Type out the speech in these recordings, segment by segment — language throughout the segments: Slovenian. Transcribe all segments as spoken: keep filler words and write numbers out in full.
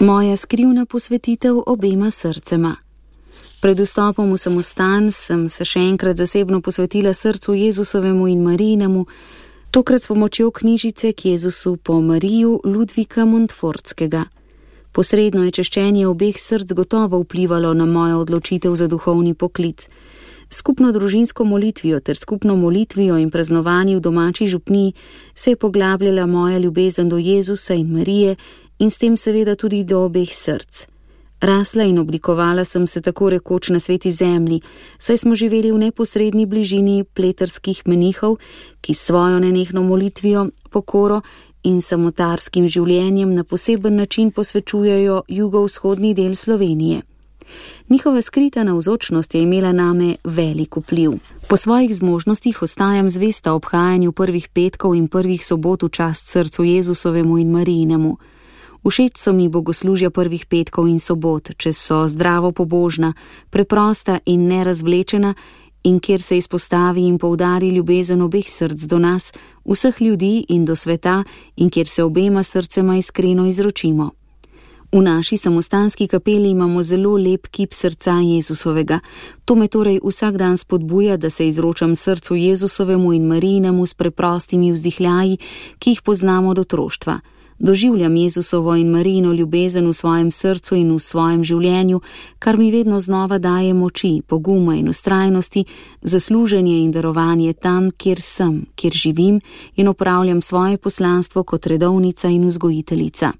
Moja skrivna posvetitev obema srcema. Pred vstopom v samostan sem se še enkrat zasebno posvetila srcu Jezusovemu in Marijinemu, tokrat s pomočjo knjižice k Jezusu po Mariju Ludvika Montfortskega. Posredno je češčenje obeh src gotovo vplivalo na mojo odločitev za duhovni poklic. Skupno družinsko molitvijo ter skupno molitvijo in praznovanji v domači župniji se je poglabljala moja ljubezen do Jezusa in Marije in s tem seveda tudi do obeh src. Rasla in oblikovala sem se tako rekoč na sveti zemlji, saj smo živeli v neposredni bližini pleterskih menihov, ki s svojo nenehno molitvijo, pokoro in samotarskim življenjem na poseben način posvečujejo jugovzhodni del Slovenije. Njihova skrita navzočnost je imela name velik vpliv. Po svojih zmožnostih ostajam zvesta obhajanju prvih petkov in prvih sobot v čast srcu Jezusovemu in Marijinemu. Všeč so mi bogoslužja prvih petkov in sobot, če so zdravo pobožna, preprosta in nerazvlečena in kjer se izpostavi in poudari ljubezen obeh src do nas, vseh ljudi in do sveta in kjer se obema srcema iskreno izročimo. V naši samostanski kapeli imamo zelo lep kip srca Jezusovega. To me torej vsak dan spodbuja, da se izročam srcu Jezusovemu in Marijinemu s preprostimi vzdihljaji, ki jih poznamo od otroštva. Doživljam Jezusovo in Marijino ljubezen v svojem srcu in v svojem življenju, kar mi vedno znova daje moči, poguma in vztrajnosti za služenje in darovanje tam, kjer sem, kjer živim in opravljam svoje poslanstvo kot redovnica in vzgojiteljica.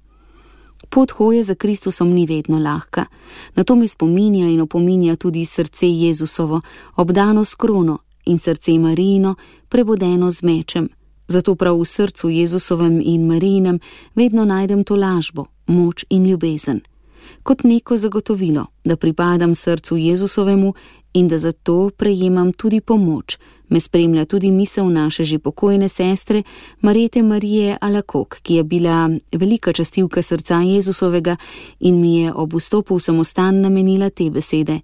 Pot hoje za Kristusom ni vedno lahka. Na to me spominja in opominja tudi srce Jezusovo, obdano s krono, in srce Marijino, prebodeno z mečem. Zato prav v srcu Jezusovem in Marijinem vedno najdem to lažbo, moč in ljubezen. Kot neko zagotovilo, da pripadam srcu Jezusovemu in da zato prejemam tudi pomoč, me spremlja tudi misel naše že pokojne sestre Marjete Marije Alakok, ki je bila velika častilka srca Jezusovega in mi je ob vstopu v samostan namenila te besede.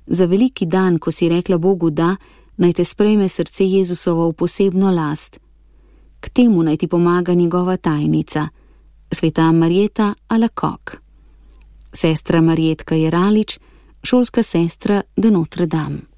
Za veliki dan, ko si rekla Bogu da, naj te sprejme srce Jezusovo v posebno last. K temu naj ti pomaga njegova tajnica, sveta Marjeta Alakok. Sestra Marjetka Jeralič, šolska sestra de Notre Dame.